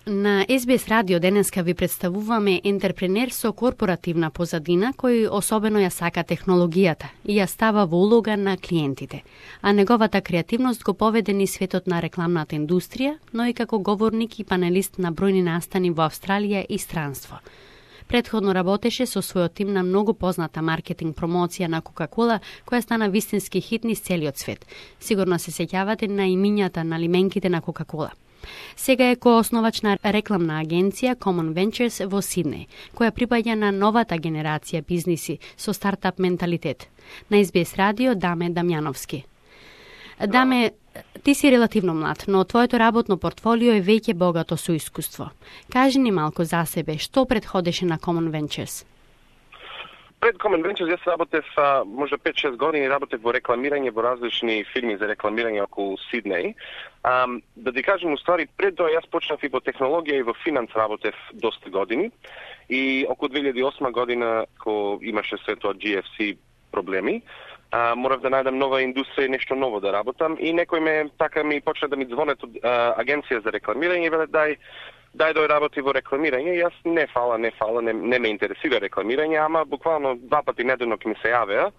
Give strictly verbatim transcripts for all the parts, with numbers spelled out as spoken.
На Ес Би Ес Радио денеска ви представуваме ентерпренер со корпоративна позадина кој особено ја сака технологијата и ја става во улога на клиентите, а неговата креативност го поведе низ светот на рекламната индустрија, но и како говорник и панелист на бројни настани во Австралија и странство. Претходно работеше со својот тим на многу позната маркетинг промоција на Кока-Кола, која стана вистински хит низ целиот свет. Сигурно се сеќавате на имињата на лименките на Кока-Кола. Сега е коосновач на рекламна агенција Common Ventures во Сиднеј, која припаѓа на новата генерација бизниси со стартап менталитет. На Ес Би Ес Радио Даме Дамјановски. Даме, ти си релативно млад, но твоето работно портфолио е веќе богато со искуство. Кажи ни малку за себе, што предходеше на Common Ventures? Пред Common Ventures јас работев може пет-шест години, работев во рекламирање во различни фирми за рекламирање околу Сиднеј. Um, да ти кажем, уствари, пред тоа јас почнав и во технологија и во финанс работев доста години и околу две илјади и осма година, кога имаше се тоа Джи Еф Си проблеми, uh, морав да најдам нова индустрија и нешто ново да работам и некој ме така ми почна да ми звонат од uh, агенција за рекламирање и веле дај дај дој работи во рекламирање. Јас не фала, не фала, не, не ме интересира рекламирање, ама буквално два пати неделно ќе ми се јавеа.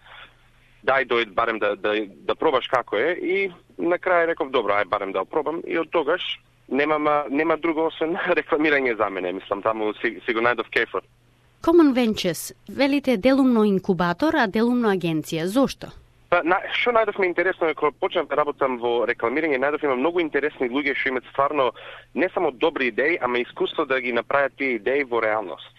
Дај дојд барем да, да, да пробаш како е и на крај реков добро, ај барем да пробам и од тогаш нема нема друго освен рекламирање за мене, мислам таму си, си го најдов кефот. Common Ventures, велите делумно инкубатор, а делумно агенција. Зошто? Па, на, што најдовме интересно е кога почнав да работам во рекламирање, најдов има многу интересни луѓе што имаат стварно не само добри идеи, ама искуство да ги направат тие идеи во реалност.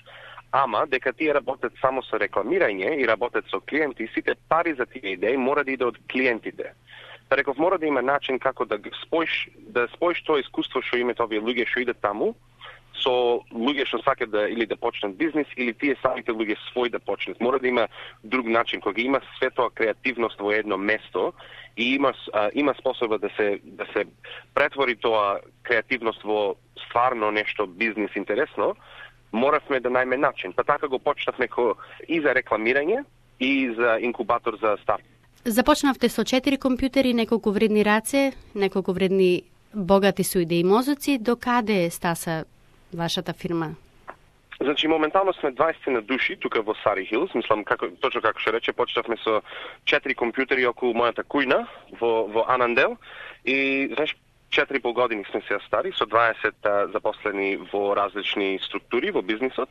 Ама, дека тие работат само со рекламирање и работат со клиенти, сите пари за тие идеи мора да иде од клиентите. Па реков, мора да има начин како да споиш, да споиш тоа искуство што имаат овие луѓе што идат таму, со луѓе што сакат да или да почнат бизнис, или тие самите луѓе свој да почнат. Мора да има друг начин, кога има светоа креативност во едно место и има а, има способа да се да се претвори тоа креативност во стварно нешто бизнис интересно, моравме да најме начин. Па така го почнавме и за рекламирање и за инкубатор за старт. Започнавте со четири компјутери, неколку вредни раце, неколку вредни богати со идеи мозоци. До каде стаса вашата фирма? Значи, моментално сме дваесет на души тука во Сари Хилс. Мислам, како, точно како што рече, почнавме со четири компјутери околу мојата кујна во, во Анандел. И, знаеш, четири и пол години сме се стари, со дваесет а, запослени во различни структури во бизнисот.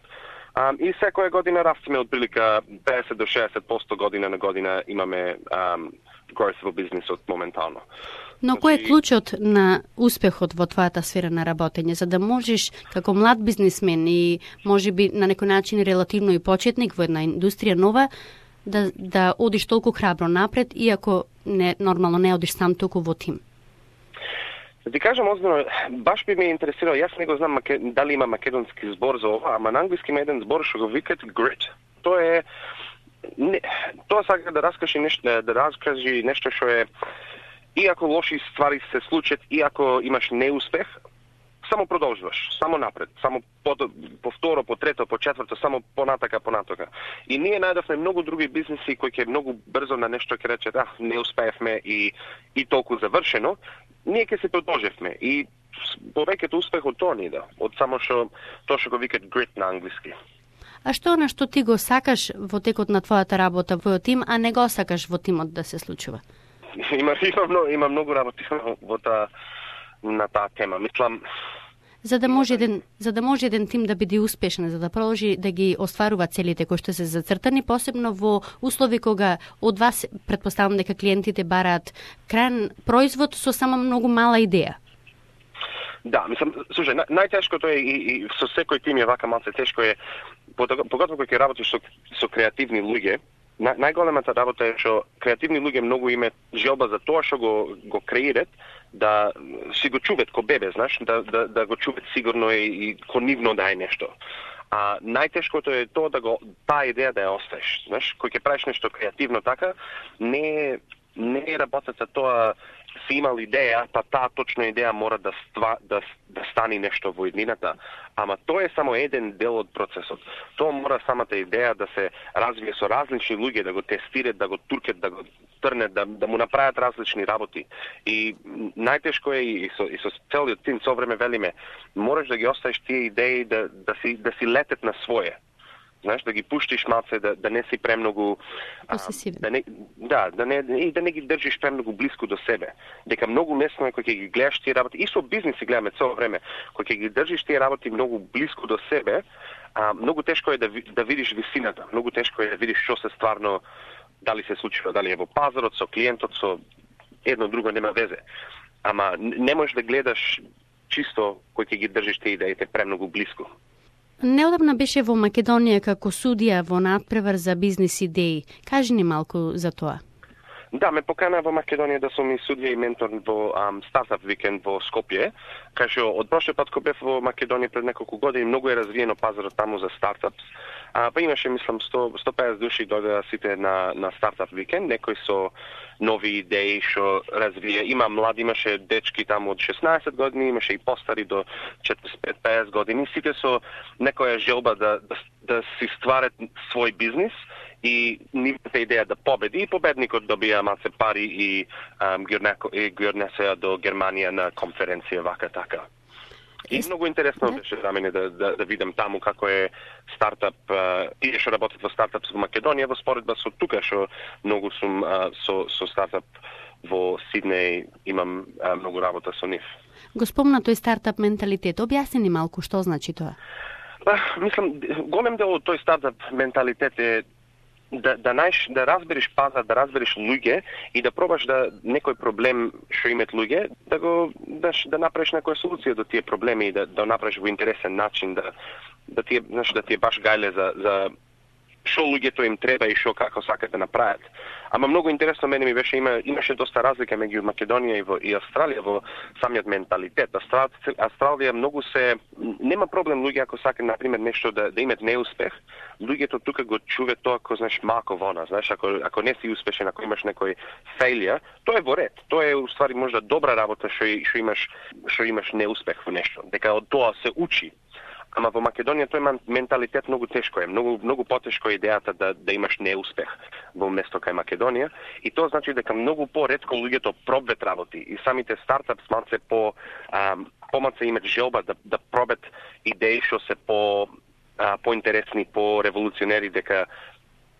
А, и секоја година растеме од прилика педесет до шеесет проценти година на година имаме um, growth во бизнисот моментално. Но кој е клучот на успехот во твојата сфера на работење, за да можеш како млад бизнисмен и можеби на некој начин релативно и почетник во една индустрија нова, да, да одиш толку храбро напред, иако не, нормално не одиш сам толку во тим? Да ти кажам озбилно, баш би ме интересирало, јас не го знам маке, дали има македонски збор за ова, ама на англиски има еден збор што го викат grit. Тоа е не, тоа сака да раскажи нешто, да раскажи нешто што е иако лоши ствари се случат, иако имаш неуспех, само продолжуваш, само напред, само по, по второ, по трето, по четврто, само понатака, понатака. И ние најдовме многу други бизнеси кои ќе многу брзо на нешто ќе речат, а, не успеевме и, и толку завршено, ние ќе се продолжевме и повеќето успех од тоа ни да, од само што тоа што го викат grit на англиски. А што на што ти го сакаш во текот на твојата работа во тим, а не го сакаш во тимот да се случува? Има, има, много, има многу работи во таа на таа тема. Мислам, за да може еден за да може еден тим да биде успешен, за да продолжи да ги остварува целите кои што се зацртани, посебно во услови кога од вас претпоставам дека клиентите бараат крајен производ со само многу мала идеја. Да, мислам, слушај, на, најтешкото е и, и со секој тим е вака малце тешко е, поготово кога ќе работиш со, со креативни луѓе. На, најголемата работа е што креативни луѓе многу имаат желба за тоа што го го креират, да си го чуват ко бебе, знаеш, да да да го чуват сигурно и, и ко нивно да е нешто. А најтешкото е тоа да го таа идеја да ја оставиш, знаеш, кој ќе правиш нешто креативно така, не не е работата тоа си имал идеја, па таа точно идеја мора да, ства, да, да стане нешто во иднината, ама тоа е само еден дел од процесот. Тоа мора самата идеја да се развие со различни луѓе, да го тестират, да го туркат, да го трнат, да, да му направат различни работи. И најтешко е и со, и со целиот тим, со време велиме, мораш да ги оставиш тие идеи да, да, си, да си летат на своје. Знаеш, да ги пуштиш малце, да, да не си премногу... Да не, да, да не, и да не ги држиш премногу близко до себе. Дека многу лесно е кој ќе ги гледаш тие работи, и со бизнес си гледаме цело време, кој ќе ги држиш тие работи многу близко до себе, а, многу тешко е да, да видиш висината, многу тешко е да видиш што се стварно, дали се случува, дали е во пазарот, со клиентот, со едно друго нема везе. Ама не можеш да гледаш чисто кој ќе ги држиш тие идеите премногу близко. Неодамна беше во Македонија како судија во надпревар за бизнис идеи. Кажи ни малку за тоа. Да, ме покана во Македонија да сум и судија и ментор во um, стартап викенд во Скопје. Кај од прошлиот пат кога бев во Македонија пред неколку години, многу е развиено пазарот таму за стартапс. А, па имаше, мислам, сто до сто и песет души дојдоа сите на, на стартап викенд, некои со нови идеи што развија. Има млади, имаше дечки таму од шеснаесет години, имаше и постари до четириесет и пет до песет години, сите со некоја желба да, да, да си стварат свој бизнис и нивната идеја да победи, и победникот добија маце пари и um, ги однесеа до Германија на конференција вака така. И многу интересно беше за мене да, да, да видам таму како е стартап, тие што работат во стартап во Македонија, во споредба со тука што многу сум а, со, со стартап во Сиднеј, имам а, многу работа со нив. Го спомна тој стартап менталитет, објасни ни малку што значи тоа? Ба, мислам, голем дел од тој стартап менталитет е да да најш да разбереш пазар, да разбереш луѓе и да пробаш да некој проблем што имат луѓе, да го да, да направиш некоја солуција до тие проблеми и да да направиш во интересен начин, да да ти знаеш да ти е баш гајле за за што луѓето им треба и што како сакат да направат. Ама многу интересно мене ми беше има имаше доста разлика меѓу Македонија и во и Австралија во самиот менталитет. Австралија, Австралија многу се нема проблем луѓе ако сакаат на пример нешто да да имат неуспех. Луѓето тука го чуват тоа како знаеш мако вона, знаеш ако ако не си успешен, ако имаш некој фейлија, тоа е во ред. Тоа е уствари можда добра работа што што имаш што имаш неуспех во нешто. Дека од тоа се учи. Ама во Македонија тој менталитет многу тешко е, многу многу потешко е идејата да да имаш неуспех во место кај Македонија и тоа значи дека многу поретко луѓето пробват работи и самите стартапс малце по ам, помалце имат желба да да пробат идеи што се по а, поинтересни, по револуционери, дека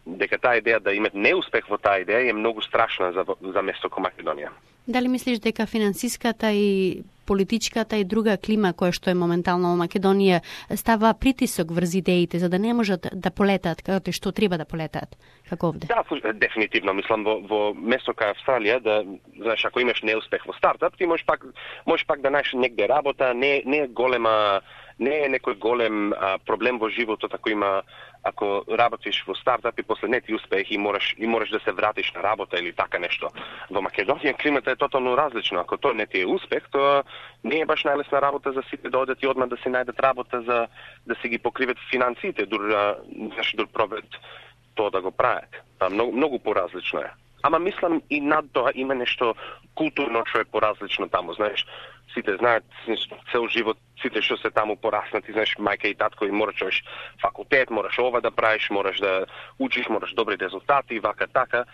дека таа идеја да имат неуспех во таа идеја е многу страшна за за место како Македонија. Дали мислиш дека финансиската и политичката и друга клима која што е моментално во Македонија става притисок врз идеите за да не можат да полетаат како што треба да полетаат како овде? Да, дефинитивно мислам во во место кај Австралија да знаеш ако имаш неуспех во стартап, ти можеш пак можеш пак да најдеш негде работа, не не е голема не е некој голем а, проблем во животот ако има ако работиш во стартап и после не ти успех и мораш и мораш да се вратиш на работа или така нешто. Во Македонија климата е тотално различно. Ако тоа не ти е успех, тоа не е баш најлесна работа за сите да одат и одма да се најдат работа за да се ги покриват финансиите, дури знаеш дур пробат тоа да го прават. Па многу многу поразлично е. Ама мислам и над тоа има нешто културно што е поразлично таму, знаеш. Сите знаат цел живот, сите што се таму пораснати, знаеш, мајка и татко и мораш факултет, мораш ова да правиш, мораш да учиш, мораш добри резултати, вака така.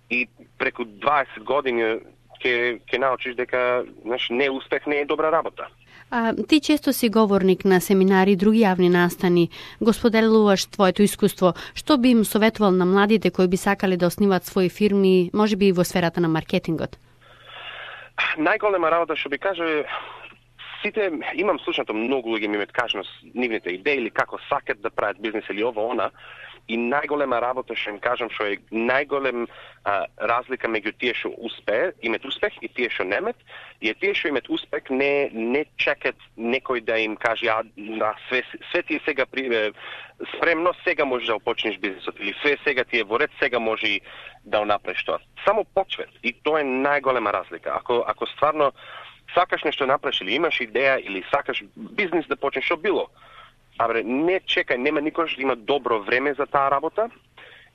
И преку дваесет години ќе ќе научиш дека, знаеш, неуспех не е добра работа. А, ти често си говорник на семинари и други јавни настани. Го споделуваш твоето искуство. Што би им советувал на младите кои би сакале да основат своји фирми, можеби и во сферата на маркетингот? Најголема работа што би кажа, сите имам слушнато многу луѓе ми ме кажат нивните идеи или како сакат да прават бизнес или ова она. И најголема работа што им кажам што е најголем а, разлика меѓу тие што успее, имат успех и тие што немат, и тие што имат успех не не чекат некој да им каже а да, све све ти сега при, спремно сега можеш да почнеш бизнисот или све сега ти е во ред, сега може да направиш тоа. Само почвет и тоа е најголема разлика. Ако ако стварно сакаш нешто направиш или имаш идеја или сакаш бизнис да почнеш што било, абре, не чекај, нема никош да има добро време за таа работа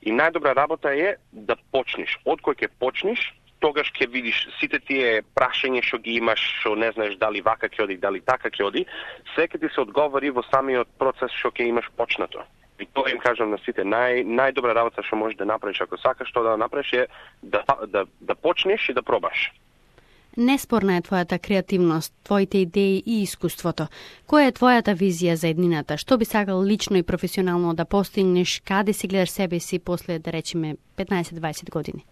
и најдобра работа е да почнеш. Од кој ќе почнеш, тогаш ќе видиш сите тие прашања што ги имаш, што не знаеш дали вака ќе оди, дали така ќе оди, се ќе ти се одговори во самиот процес што ќе имаш почнато. И тоа им кажам на сите, нај, најдобра работа што можеш да направиш ако сакаш што да направиш е да, да, да почнеш и да пробаш. Неспорна е твојата креативност, твоите идеи и искуството. Која е твојата визија за еднината? Што би сакал лично и професионално да постигнеш? Каде си гледаш себе си после, да речеме, петнаесет-дваесет години?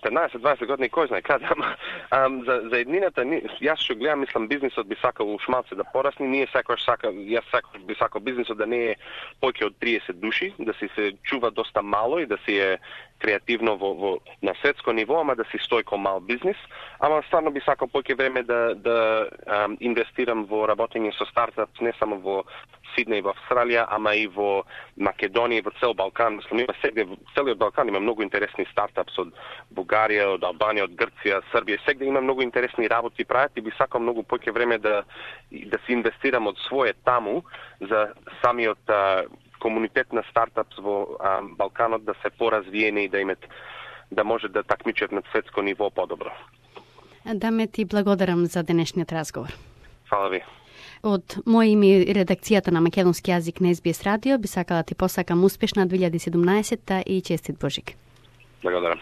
петнаесет-дваесет години, кој знае каде, ама ам, за, за еднината, јас што гледам, мислам, бизнисот би сакал ушмалце да порасне, ние секојаш сака, јас секојаш би сакал бизнисот да не е поќе од триесет души, да си се чува доста мало и да си е креативно во, во на светско ниво, ама да си стои ко мал бизнис, ама стварно би сакал поќе време да да ам, инвестирам во работење со стартапс не само во Сиднеј, во Австралија, ама и во Македонија и во цел Балкан. Мислам, има сегде, целиот Балкан има многу интересни стартапс од Бугарија, од Албанија, од Грција, Србија. Сегде има многу интересни работи прават и би сакал многу поќе време да да се инвестирам од своје таму за самиот а, комунитет на стартапс во а, Балканот да се поразвиени и да имат да може да такмичат на светско ниво подобро. Даме ти благодарам за денешниот разговор. Фала ви. Од мој име и редакцијата на македонски јазик на Ес Би Ес радио би сакала ти посакам успешна две илјади и седумнаесетта и честит Божик. Благодарам.